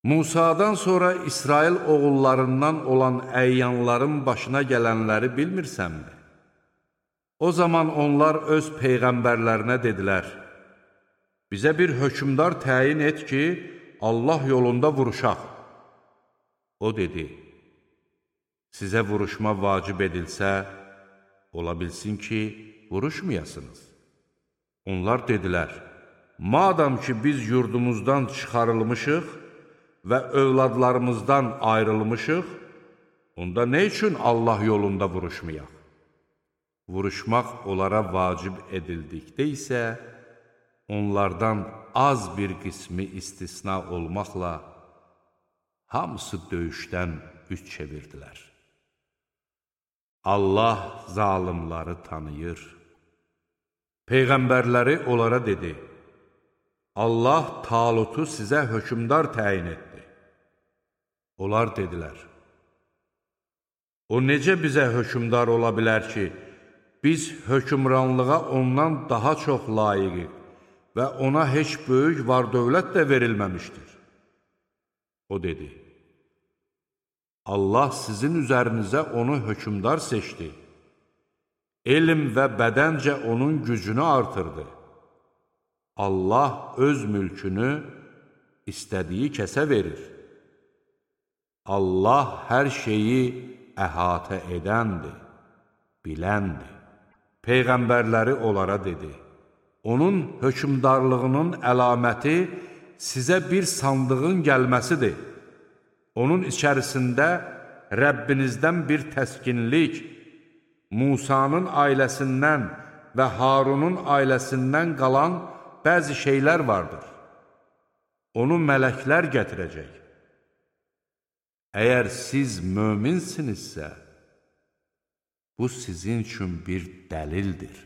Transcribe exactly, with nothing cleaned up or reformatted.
Musadan sonra İsrail oğullarından olan əyyanların başına gələnləri bilmirsənmi? O zaman onlar öz peyğəmbərlərinə dedilər, bizə bir hökmdar təyin et ki, Allah yolunda vuruşaq. O dedi, sizə vuruşma vacib edilsə, ola bilsin ki, vuruşmayasınız. Onlar dedilər, madam ki, biz yurdumuzdan çıxarılmışıq və övladlarımızdan ayrılmışıq, onda nə üçün Allah yolunda vuruşmayaq? Vuruşmaq onlara vacib edildikdə isə, onlardan az bir qismi istisna olmaqla, hamısı döyüşdən üç çevirdilər. Allah zalimları tanıyır. Peyğəmbərləri onlara dedi, Allah Talutu sizə hökmdar təyin etdi. Onlar dedilər, o necə bizə hökmdar ola bilər ki, biz hökmranlığa ondan daha çox layiqik və ona heç böyük var-dövlət də verilməmişdir. O dedi, Allah sizin üzərinizə onu hökmdar seçdi. Elm və bədəncə onun gücünü artırdı. Allah öz mülkünü istədiyi kəsə verir. Allah hər şeyi əhatə edəndir, biləndir. Peyğəmbərləri onlara dedi, onun hökmdarlığının əlaməti sizə bir sandığın gəlməsidir. Onun içərisində Rəbbinizdən bir təskinlik, Musanın ailəsindən və Harunun ailəsindən qalan bəzi şeylər vardır. Onu mələklər gətirəcək. Əgər siz möminsinizsə, bu sizin üçün bir dəlildir.